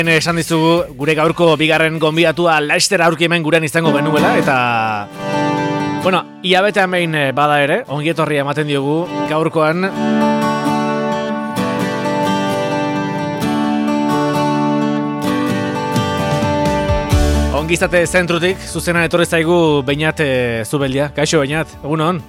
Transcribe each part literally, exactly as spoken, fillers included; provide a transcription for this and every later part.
Esan dizugu gure gaurko bigarren gonbidatua Laster aurki hemen gurean izango genuela eta bueno, ia betean behin bada ere, ongi etorria ematen diogu gaurkoan Ongizate zentrutik, zuzenan etorri zaigu Beñat e, Zubeldia. Kaixo Beñat, egun hon?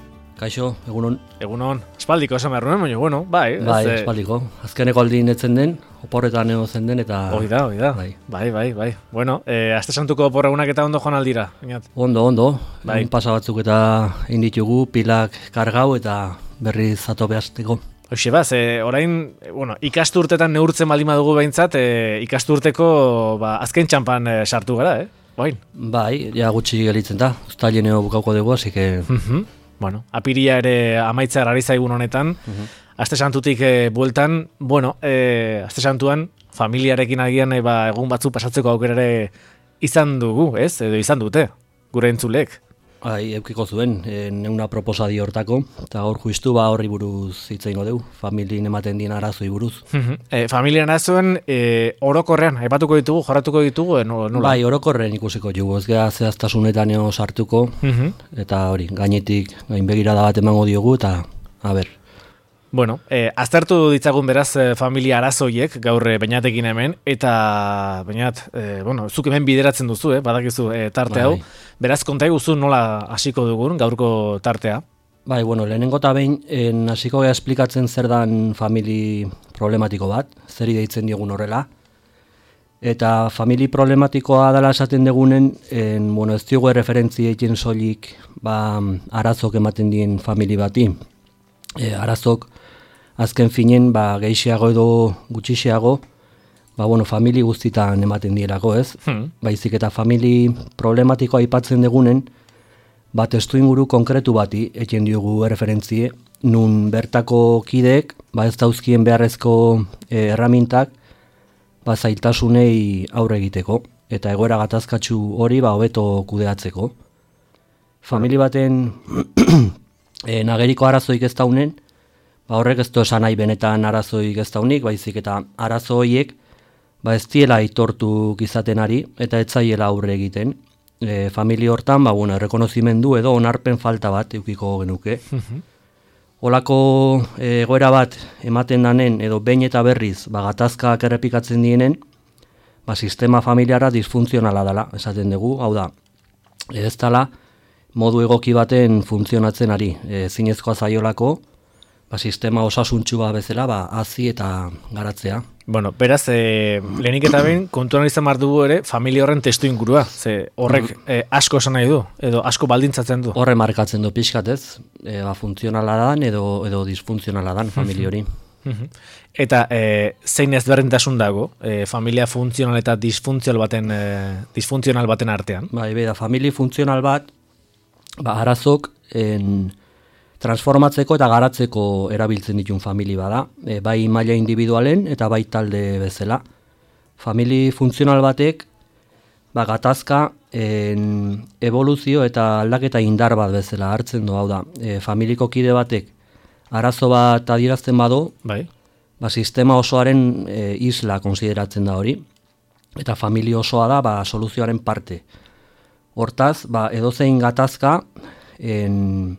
Kaixo, egunon. Egunon. Espaldiko esan behar nuen, baina, bueno, bai. Bai, ez, espaldiko. Azkeneko aldin etzen den, oporretan ego zen den, eta... Hoi da, hoi da. Bai, bai, bai. bai. Bueno, eh, aste santuko oporregunak eta ondo joan aldira. Beñat. Ondo, ondo. Bai. Egun pasa batzuk eta egin ditugu, pilak kargau eta berriz zato behazteko. Hoxe ba, ze orain, bueno, ikasturtetan neurtzen baldin badugu behintzat, e, ikasturteko ba, azken txampan e, sartu gara, eh? Bain. Bai, ja gutxi gelitzen da, uztaileneo bukauko dugu, así que... Uh-huh. Bueno, apiria ere amaitza ari zaigun honetan, uh-huh. Aste santutik e, bueltan, bueno, e, aste santuan, familiarekin agian e, ba, egun batzu pasatzeko aukera ere izan dugu, ez? Edo izan dute, gure entzulek. Bai, eukiko zuen, e, neuna proposadi hortako, eta hor justu ba horri buruz hitz egingo dugu, familien ematen dien arazoi buruz. Uh-huh. E, familien arazoen e, orokorrean, aipatuko ditugu, jorratuko ditugu, e, nola? Bai, orokorren ikusiko jugu, ez gara zehaztasunetan eo sartuko, uh-huh. Eta hori, gainetik gainbegirada bat emango diogu, eta, a ber. Bueno, e, aztertu ditzagun beraz e, familia arazoiek gaur e, Beñatekin hemen, eta Beñat, e, bueno, zuk hemen bideratzen duzu, eh, badakizu e, tarte hau, bai. Beraz konta eguzu nola hasiko dugun gaurko tartea? Bai, bueno, lehenengo eta behin, hasiko gara esplikatzen zer dan famili problematiko bat, zeri deitzen diogun horrela, eta famili problematikoa dela esaten degunen, en, bueno, ez diogu referentzi egin soilik ba, arazok ematen dien famili bati. E, arazok azken finen ba, gehiago edo gutxiago, ba, bueno, famili guztitan ematen dielako, ez? Hmm. Baizik eta famili problematikoa aipatzen degunen, ba, testu inguru konkretu bati egin diogu referentzie, nun bertako kideek, ba, ez dauzkien beharrezko e, erramintak, ba, zailtasunei aurre egiteko, eta egoera gatazkatsu hori ba, hobeto kudeatzeko. Famili baten e, nageriko arazoik ez daunen, ba, horrek ez du esan nahi benetan arazoik ez daunik, baizik eta arazo horiek ba, ez diela aitortu izaten ari, eta ez zaiela aurre egiten. E, familia hortan, ba, bueno, errekonozimendu edo onarpen falta bat eukiko genuke. Uh-huh. Olako egoera bat ematen danen edo behin eta berriz ba, gatazkak errepikatzen dienen, ba, sistema familiara disfuntzionala dela, esaten dugu, hau da, ez dela modu egoki baten funtzionatzen ari, e, zinezkoa zaiolako, ba, sistema osasuntxu bat bezala, ba, hazi eta garatzea. Bueno, beraz, e, lehenik eta behin, kontuan izan behar dugu ere, familia horren testu ingurua, ze horrek e, asko esan nahi du, edo asko baldintzatzen du. Horre markatzen du pixkatez, e, ba, funtzionala dan edo, edo disfuntzionala dan familia hori. Eta e, zein ezberdintasun dago, e, familia funtzional eta disfuntzional baten, e, disfuntzional baten artean? Bai, beda, familia funtzional bat, ba, arazok, en, transformatzeko eta garatzeko erabiltzen ditun famili bada, e, bai maila individualen eta bai talde bezala. Famili funtzional batek, ba, gatazka, en, evoluzio eta aldaketa indar bat bezala hartzen du, hau da, e, familiko kide batek arazo bat adierazten badu, bai. Ba, sistema osoaren e, isla konsideratzen da hori, eta famili osoa da ba, soluzioaren parte. Hortaz, ba, edozein gatazka, en,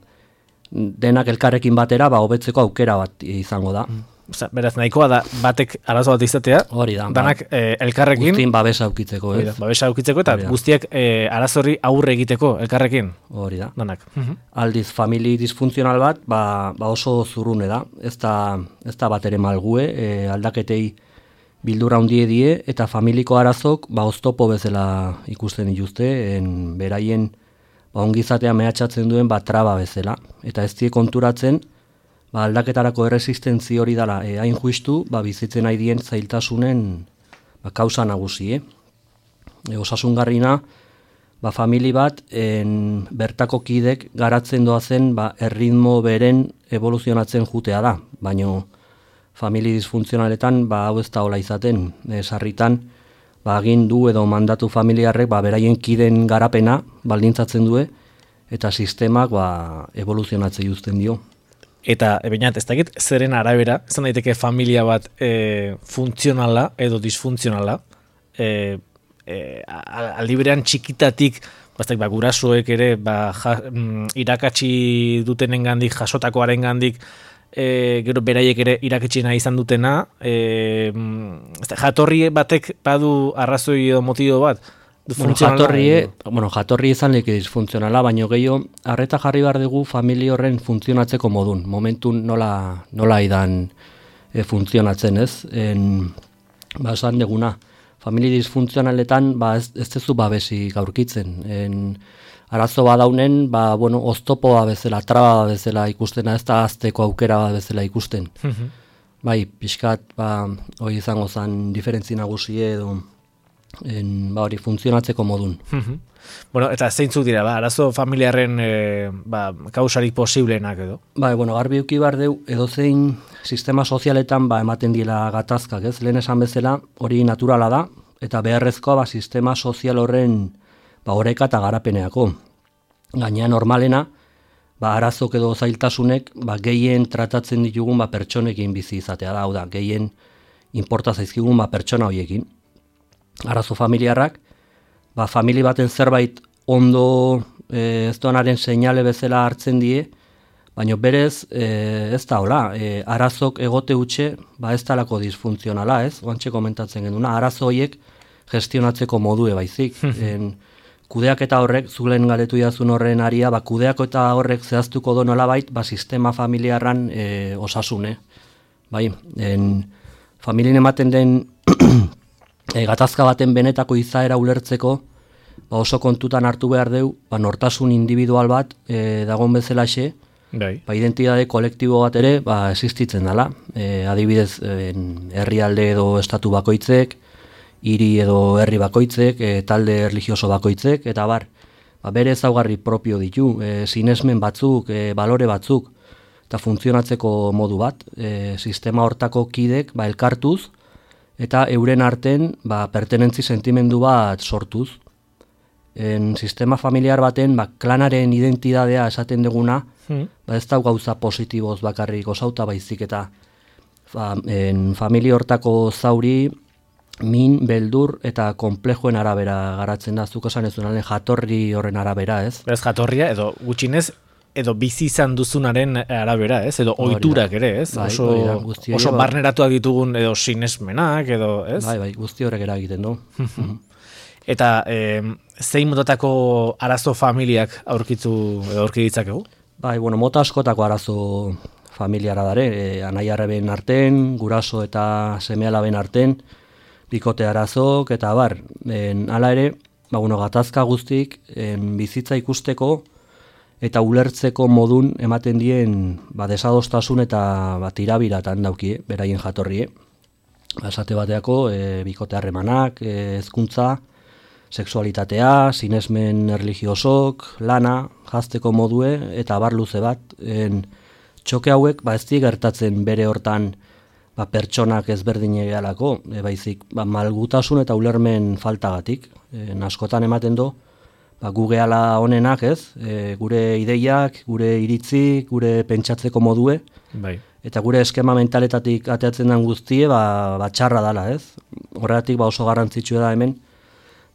denak elkarrekin batera ba hobetzeko aukera bat izango da. Osa, beraz, nahikoa da batek arazo bat izatea, hori da, danak ba, e, elkarrekin guztien babesa aukitzeko, ez? Da, babesa aukitzeko eta guztiak e, arazorri aurre egiteko elkarrekin. Hori da. Danak. Aldiz, famili disfuntzional bat ba, ba oso zurrune da. Ez da, ez da bat ere malgue, e, aldaketei bildura handie die eta familiko arazok ba oztopo bezala ikusten dituzte, en beraien ba, ongizatea mehatxatzen duen ba, traba bezala. Eta ez die konturatzen, ba, aldaketarako erresistentzi hori dela, e, hain justu, ba, bizitzen nahi dien zailtasunen ba, kausa nagusi. Eh? E, osasungarrina, ba, famili bat, en, bertako kidek garatzen doazen ba, erritmo beren evoluzionatzen jutea da. Baina famili disfuntzionaletan ba, hau ez da hola izaten, e, sarritan, ba, agindu edo mandatu familiarrek ba, beraien kiden garapena baldintzatzen due, eta sistemak ba, evoluzionatzen juzten dio. Eta, Beñat, ez dakit, zeren arabera, izan daiteke familia bat e, funtzionala edo disfuntzionala, e, e, aldi berean txikitatik, bastak, ba, gurasoek ere, ba, ja, irakatsi dutenengandik, jasotakoarengandik, e, gero beraiek ere irakatxina izan dutena, e, jatorri batek badu arrazoi edo motibo bat, Bueno, jatorrie, bueno, jatorri izan leke disfuntzionala, baino gehiago, arreta jarri behar dugu familia horren funtzionatzeko modun. Momentun nola, nola idan e, funtzionatzen, ez? En, ba, esan deguna, familia disfuntzionaletan ba, ez, ez tezu babesik aurkitzen. En, arazo badaunen, ba, bueno, oztopoa bezala, traba bezala ikustena, ez da azteko aukera bezala ikusten. Bai, pixkat, ba, hori izango zen diferentzi nagusie edo, En, ba, hori funtzionatzeko modun. Bueno, eta zeintzuk dira, ba, arazo familiarren e, ba, kausarik posibleenak edo? Ba, bueno, garbi uki behar deu, edozein sistema sozialetan ba, ematen dira gatazkak, ez? Lehen esan bezala, hori naturala da, eta beharrezkoa ba, sistema sozial horren ba, oreka eta garapeneako. Gaina normalena, ba, arazok edo zailtasunek ba, gehien tratatzen ditugun ba, pertsonekin bizi izatea da, hau da, gehien inporta zaizkigun ba, pertsona horiekin. Arazo familiarrak, ba, famili baten zerbait ondo e, ez doanaren seinale bezala hartzen die, baina berez e, ez da hola, e, arazok egote utxe, ba, ez talako disfuntzionala, ez? Oantxe komentatzen genduna, arazo horiek gestionatzeko modue baizik. en, kudeaketa horrek, zulen galetu jazun horren aria, ba, kudeaketa horrek zehaztuko do nolabait, ba, sistema familiarran e, osasune. Bai, en, familien ematen den E, gatazka baten benetako izaera ulertzeko ba oso kontutan hartu behar deu, ba nortasun individual bat e, dagoen bezalaxe, ba identitate kolektibo bat ere ba existitzen dela. E, adibidez, e, herrialde edo estatu bakoitzek, hiri edo herri bakoitzek, e, talde erlijioso bakoitzek, eta bar, ba bere ezaugarri propio ditu, e, sinesmen batzuk, e, balore batzuk, eta funtzionatzeko modu bat, e, sistema hortako kidek ba elkartuz, eta euren arten ba, pertenentzi sentimendu bat sortuz. En sistema familiar baten ba, klanaren identidadea esaten duguna, hmm. ba, ez da gauza positiboz bakarrik osauta baizik eta fa, en familia hortako zauri min, beldur eta konplejuen arabera garatzen da, zuk esan ez duen jatorri horren arabera, ez? Ez jatorria edo gutxinez edo bizi izan duzunaren arabera, ez? Edo ohiturak ere, ez? Bai, oso da, guzti oso ba. barneratuak ditugun edo sinesmenak edo, ez? Bai, bai, guzti horrek eragiten du. Eta eh, zein motatako arazo familiak aurkitu edo aurki ditzakegu? Bai, bueno, mota askotako arazo familiara dare, e, anai-arreben arten, guraso eta seme-alaben arten, bikote arazok eta bar. En, hala ere, ba, bueno, gatazka guztik en, bizitza ikusteko eta ulertzeko modun ematen dien ba, desadostasun eta ba, tirabiratan daukie, beraien jatorrie. Ba, esate bateako, e, bikote harremanak, e, hezkuntza, sexualitatea, sinesmen erligiosok, lana, jazteko modue, eta bar luze bat. En, txoke hauek ba, ez di gertatzen bere hortan ba, pertsonak ezberdine gehalako, e, baizik ba, malgutasun eta ulermen faltagatik. E, askotan ematen do, ba, gu gehala honenak, ez? E, gure ideiak, gure iritzi, gure pentsatzeko modue, bai. Eta gure eskema mentaletatik ateatzen den guztie, ba, ba txarra dala, ez? Horregatik ba oso garrantzitsua da hemen,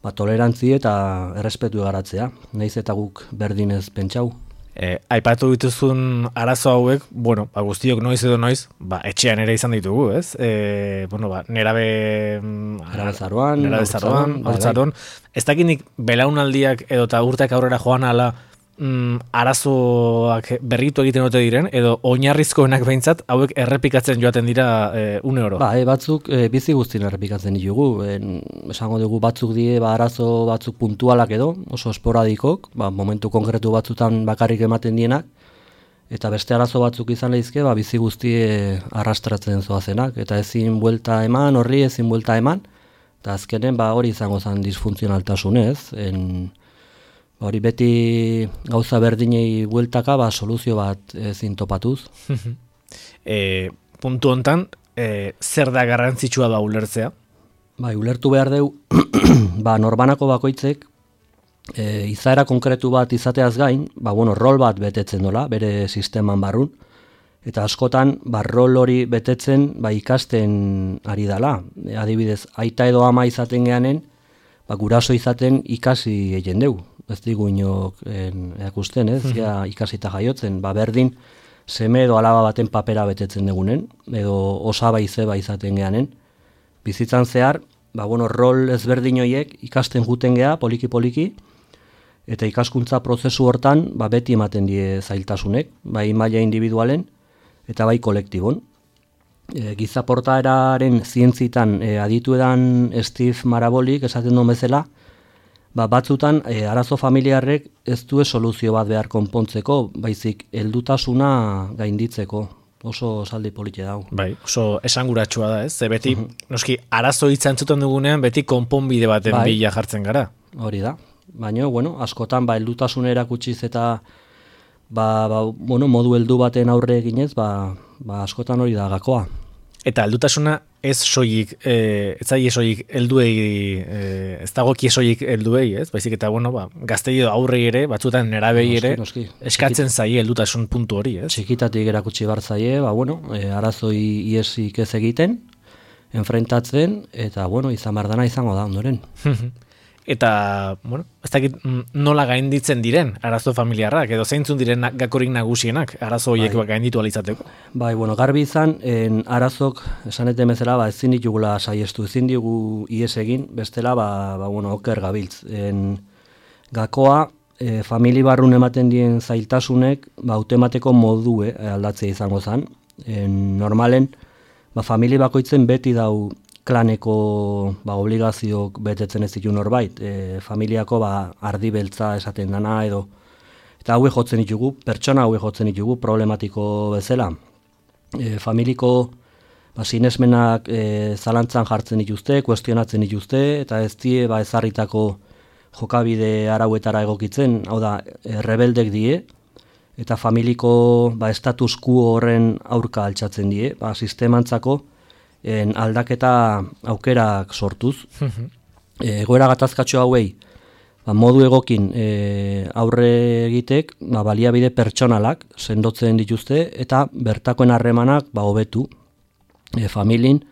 ba tolerantzi eta errespetu garatzea, naiz eta guk berdinez pentsau. E, aipatu dituzun arazo hauek, bueno, ba, guztiok noiz edo noiz, ba, etxean ere izan ditugu, ez? E, bueno, ba, nerabe... Nerabezaroan, nerabezaroan, haurtzaroan. Ez dakinik belaunaldiak edo eta urteak aurrera joan ala mm, arazoak berritu egiten ote diren, edo oinarrizkoenak behintzat, hauek errepikatzen joaten dira e, une oro. Ba, e, batzuk e, bizi guztien errepikatzen ditugu. En, esango dugu batzuk die, ba, arazo batzuk puntualak edo, oso esporadikok, ba, momentu konkretu batzutan bakarrik ematen dienak, eta beste arazo batzuk izan lehizke, ba, bizi guztie arrastratzen zoazenak, eta ezin buelta eman, horri ezin buelta eman, eta azkenen ba, hori izango zen disfuntzionaltasunez, en, hori beti gauza berdinei bueltaka, ba, soluzio bat ezin topatuz. e, puntu hontan, e, zer da garrantzitsua da ulertzea? Bai, ulertu behar deu, ba, norbanako bakoitzek, e, izaera konkretu bat izateaz gain, ba, bueno, rol bat betetzen dola, bere sisteman barrun, Eta askotan, ba, rol hori betetzen ba, ikasten ari dala. E, adibidez, aita edo ama izaten geanen, ba, guraso izaten ikasi egin deu. Ez digu inok erakusten, ez? Ja, ikasita jaiotzen. Ba, berdin, seme edo alaba baten papera betetzen dugunen, edo osaba izeba izaten geanen. Bizitzan zehar, ba, bueno, rol ezberdin horiek ikasten juten gea, poliki-poliki, eta ikaskuntza prozesu hortan ba, beti ematen die zailtasunek, bai maila individualen, eta bai kolektibon. E, giza portaeraren zientzitan e, aditu edan Steve Marabolik esaten duen bezala, ba, batzutan e, arazo familiarrek ez du soluzio bat behar konpontzeko, baizik heldutasuna gainditzeko. Oso saldi polite dago. Bai, oso esanguratsua da, ez? Ze beti, uh -huh. noski, arazo hitza entzuten dugunean, beti konponbide baten bai. bila jartzen gara. Hori da. Baina, bueno, askotan, ba, heldutasuna erakutsiz eta ba, ba, bueno, modu heldu baten aurre eginez, ba, ba, askotan hori da gakoa. Eta heldutasuna ez soilik, eh, ez zaie soilik helduei, eh, ez dagoki soilik helduei, ez? Baizik eta, bueno, ba, gaztei edo aurrei ere, batzutan nerabei ere, noski, noski. eskatzen zaie heldutasun puntu hori, ez? Txikitatik erakutsi bar zaie, ba, bueno, eh, arazoi iesik ez egiten, enfrentatzen, eta, bueno, izan bardana izango da, ondoren. Eta, bueno, ez dakit nola gainditzen diren arazo familiarrak, edo zeintzun diren gakorik nagusienak arazo horiek bai. gainditu alizateko? Bai, bueno, garbi izan, en arazok, esaneten bezala, ba, ezin ditugula saiestu, ezin digu ies egin, bestela, ba, ba, bueno, oker gabiltz. En, gakoa, e, famili barrun ematen dien zailtasunek, ba, automateko modue aldatzea izango zen. En, normalen, ba, famili bakoitzen beti dau, klaneko ba, obligazioak betetzen ez ditu norbait, e, familiako ba, ardi beltza esaten dana edo, eta haue jotzen ditugu, pertsona haue jotzen ditugu problematiko bezala. E, familiko ba, sinesmenak e, zalantzan jartzen dituzte, kuestionatzen dituzte, eta ez die ba, ezarritako jokabide arauetara egokitzen, hau da, e, rebeldek die, eta familiko ba, status quo horren aurka altxatzen die, ba, sistemantzako, En aldaketa aukerak sortuz. e, egoera gatazkatxo hauei ba, modu egokin e, aurre egitek ba, baliabide pertsonalak sendotzen dituzte eta bertakoen harremanak ba, hobetu e, familin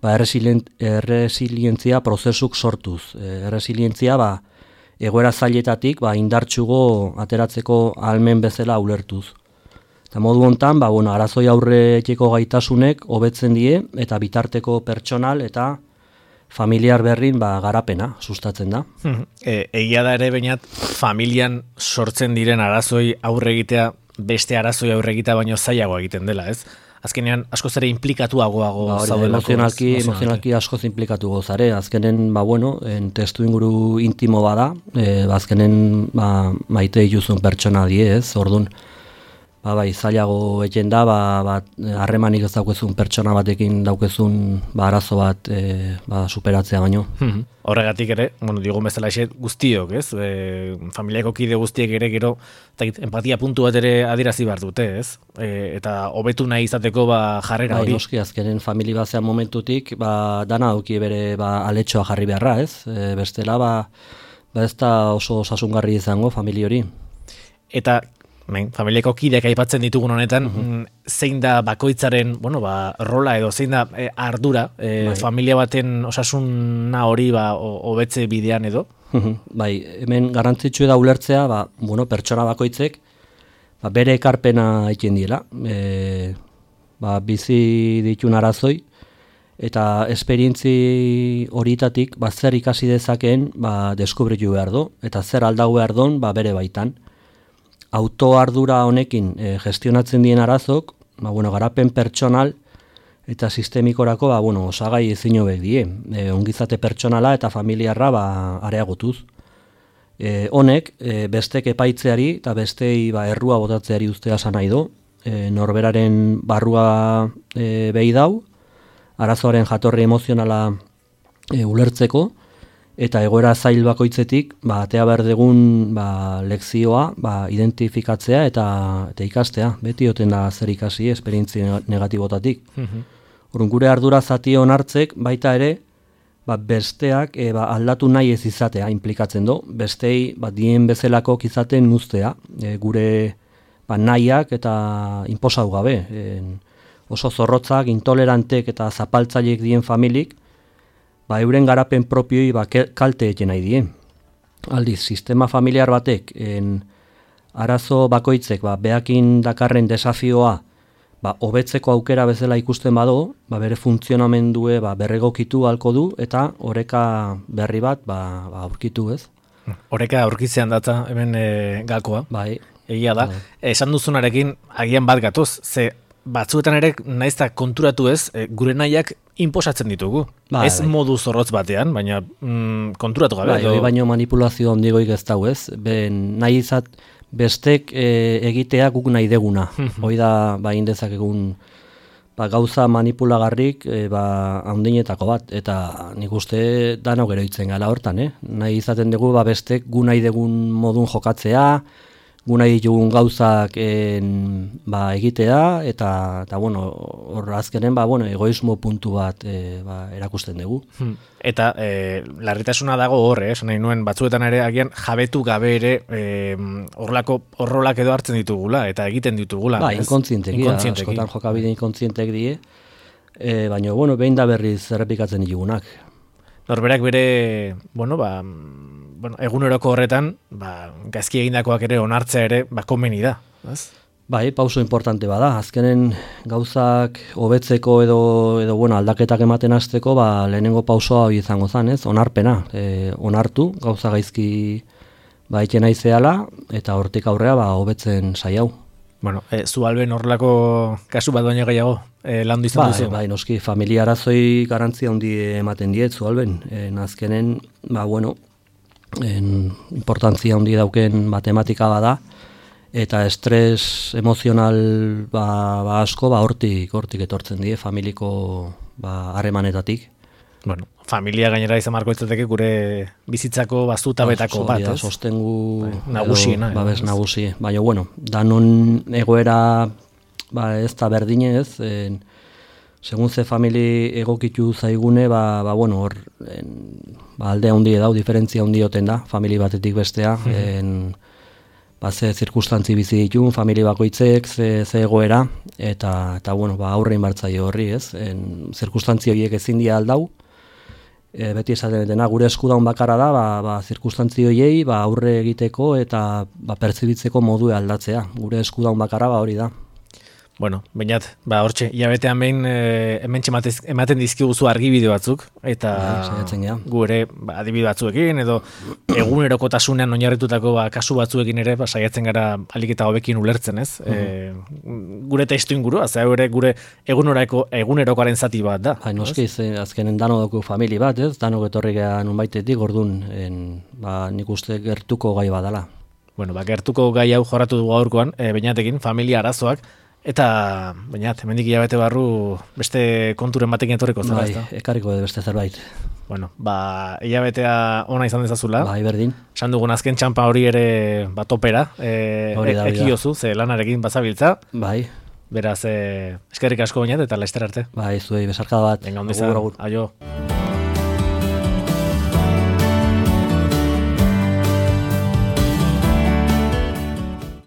ba, erresilientzia prozesuk sortuz. E, erresilientzia ba, egoera zailetatik ba, indartsugo ateratzeko ahalmen bezala ulertuz. Eta modu hontan, ba, bueno, arazoi aurreteko gaitasunek hobetzen die eta bitarteko pertsonal eta familiar berrin ba, garapena sustatzen da. E, egia da ere bainat familian sortzen diren arazoi aurre egitea beste arazoi aurre egitea baino zailago egiten dela, ez? Azkenean askoz ere implikatuagoago ba, zaudelako. Emozionalki, emozionalki askoz implikatu gozare. Azkenen, ba, bueno, en testu inguru intimo bada, e, ba, azkenen ba, maite dituzun pertsona die, ez? Ordun, ba, bai, zailago egiten da, ba, ba, harremanik ez daukezun pertsona batekin daukezun ba, arazo bat e, ba, superatzea baino. Horregatik ere, bueno, digun bezala eset guztiok, ez? E, familiako kide guztiek ere gero takit, empatia puntu bat ere adierazi behar dute, ez? E, eta hobetu nahi izateko ba, jarrera hori. Bai, noski, azkenen famili bazean momentutik, ba, dana dauki bere ba, aletxoa jarri beharra, ez? E, bestela, ba, ba ez da oso osasungarri izango famili hori. Eta Ben, familiako kideak aipatzen ditugun honetan, uh-huh. zein da bakoitzaren, bueno, ba, rola edo zein da e, ardura, e, familia baten osasuna hori ba, hobetze bidean edo? Uh-huh. Bai, hemen garrantzitsua da ulertzea, ba, bueno, pertsona bakoitzek ba, bere ekarpena egiten diela, e, ba, bizi ditun arazoi, eta esperientzi horietatik ba, zer ikasi dezakeen ba, deskubritu behar do, eta zer aldau behar don ba, bere baitan. Autoardura honekin e, gestionatzen dien arazok, ba, bueno, garapen pertsonal eta sistemikorako ba, bueno, osagai ezin hobek die. E, ongizate pertsonala eta familiarra ba, areagotuz. E, honek e, bestek epaitzeari eta bestei ba, errua botatzeari ustea esan nahi do. E, norberaren barrua e, behi dau, arazoaren jatorri emozionala e, ulertzeko, eta egoera zail bakoitzetik, ba, atea behar dugun ba, lekzioa ba, identifikatzea eta, eta ikastea. Beti oten da zer ikasi, esperientzi negatibotatik. Uh-huh. Orrun gure ardura zati onartzek, baita ere, ba, besteak e, ba, aldatu nahi ez izatea implikatzen do. Bestei ba, dien bezalako izaten nuztea. E, gure ba, nahiak eta inposatu gabe. En, oso zorrotzak, intolerantek eta zapaltzaileek dien familik, ba, euren garapen propioi ba, kalte eten nahi dien. Aldiz, sistema familiar batek, en, arazo bakoitzek, ba, behakin dakarren desafioa, ba, hobetzeko aukera bezala ikusten bado, ba, bere funtzionamendue ba, berregokitu halko du, eta oreka berri bat ba, ba, aurkitu, ez? Oreka aurkitzean data, hemen e, gakoa. Bai. Egia da. Bai. Esan duzunarekin, agian bat gatoz, ze batzuetan ere naizta konturatu ez, e, gure nahiak inposatzen ditugu. Bai, ez bai. modu zorrotz batean, baina mm, konturatu gabe. Bai, hori baino manipulazio ondigoik ez dau, ez? Ben, nahi izat bestek e, egitea guk nahi deguna. Hoi da, ba, indezakegun ba, gauza manipulagarrik e, ba, handinetako bat, eta nik uste danok geroitzen gala hortan, eh? Nahi izaten dugu ba, bestek gu nahi degun modun jokatzea, gu nahi ditugun gauzak en, ba, egitea, eta, eta bueno, hor azkenen ba, bueno, egoismo puntu bat e, ba, erakusten dugu. Eta e, larritasuna dago horre, eh? Nahi nuen batzuetan ere agian jabetu gabe ere horrelako e, horrolak edo hartzen ditugula, eta egiten ditugula. Ba, inkontzienteki, askotan jokabide inkontzientek die, e, baina, bueno, behin da berriz errepikatzen ditugunak. Norberak bere, bueno, ba, bueno, eguneroko horretan, ba, gaizki egindakoak ere onartzea ere, ba, komeni da, ez? Bai, pauso importante bada. Azkenen gauzak hobetzeko edo edo bueno, aldaketak ematen hasteko, ba, lehenengo pausoa hori izango zen, ez? Onarpena, e, onartu gauza gaizki ba iten naizeala eta hortik aurrea ba hobetzen saiau. Bueno, e, zu Alben horrelako kasu bat baino gehiago e, landu izan bai, duzu. Bai, noski familia arazoi garantzia handi ematen diet zu Alben. E, azkenen, ba bueno, en, importantzia handi dauken matematika bada, eta estres emozional ba, ba asko ba hortik hortik etortzen die familiko ba harremanetatik. Bueno, familia gainera izan marko itzateke gure bizitzako bazutabetako bat, ez? Sostengu bai, nagusiena. Babes nagusi. Baina, bueno, danon egoera ba, ez da berdine, ez? En, segun ze famili egokitu zaigune, ba, ba bueno, hor en, ba, alde handi dau, diferentzia handi oten da, famili batetik bestea, en, ba, ze zirkustantzi bizi ditun, famili bakoitzek, ze, ze egoera, eta, eta bueno, ba, aurrein bartzaio horri, ez? En, zirkustantzi horiek ezin dia aldau, e, beti esaten dena gure eskudaun bakarra da, ba, ba, zirkustantzi horiei ba, aurre egiteko eta ba, pertsibitzeko modue aldatzea. Gure eskudaun bakarra ba, hori da. Bueno, bainat, ba, hortxe, hilabetean behin e, hementxe ematen dizkiguzu argibide batzuk, eta ja, gure ba, adibide batzuekin, edo egunerokotasunean oinarritutako ba, kasu batzuekin ere, ba, saiatzen gara alik eta hobekin ulertzen, ez? Mm-hmm. E, gure testu ingurua, zera ere gure eguneroko, egunerokoaren zati bat da. Hai, noski, azkenen dano dugu famili bat, ez? Danok etorri geha nunbaitetik, orduan, en, ba, nik uste gertuko gai badala. Bueno, ba, gertuko gai hau jorratu dugu aurkoan, e, bainatekin, familia arazoak, eta, baina, hemendik hilabete barru beste konturen batekin etorriko zela, bai, ezta? Ekarriko de beste zerbait. Bueno, ba, hilabetea ona izan dezazula. Bai, berdin. Esan dugun azken txampa hori ere bat opera, e, ekiozu, ze lanarekin bazabiltza. Bai. Beraz, e, eskerrik asko bainat eta laster arte. Bai, zuei, besarkada bat. Venga, ondo izan, aio.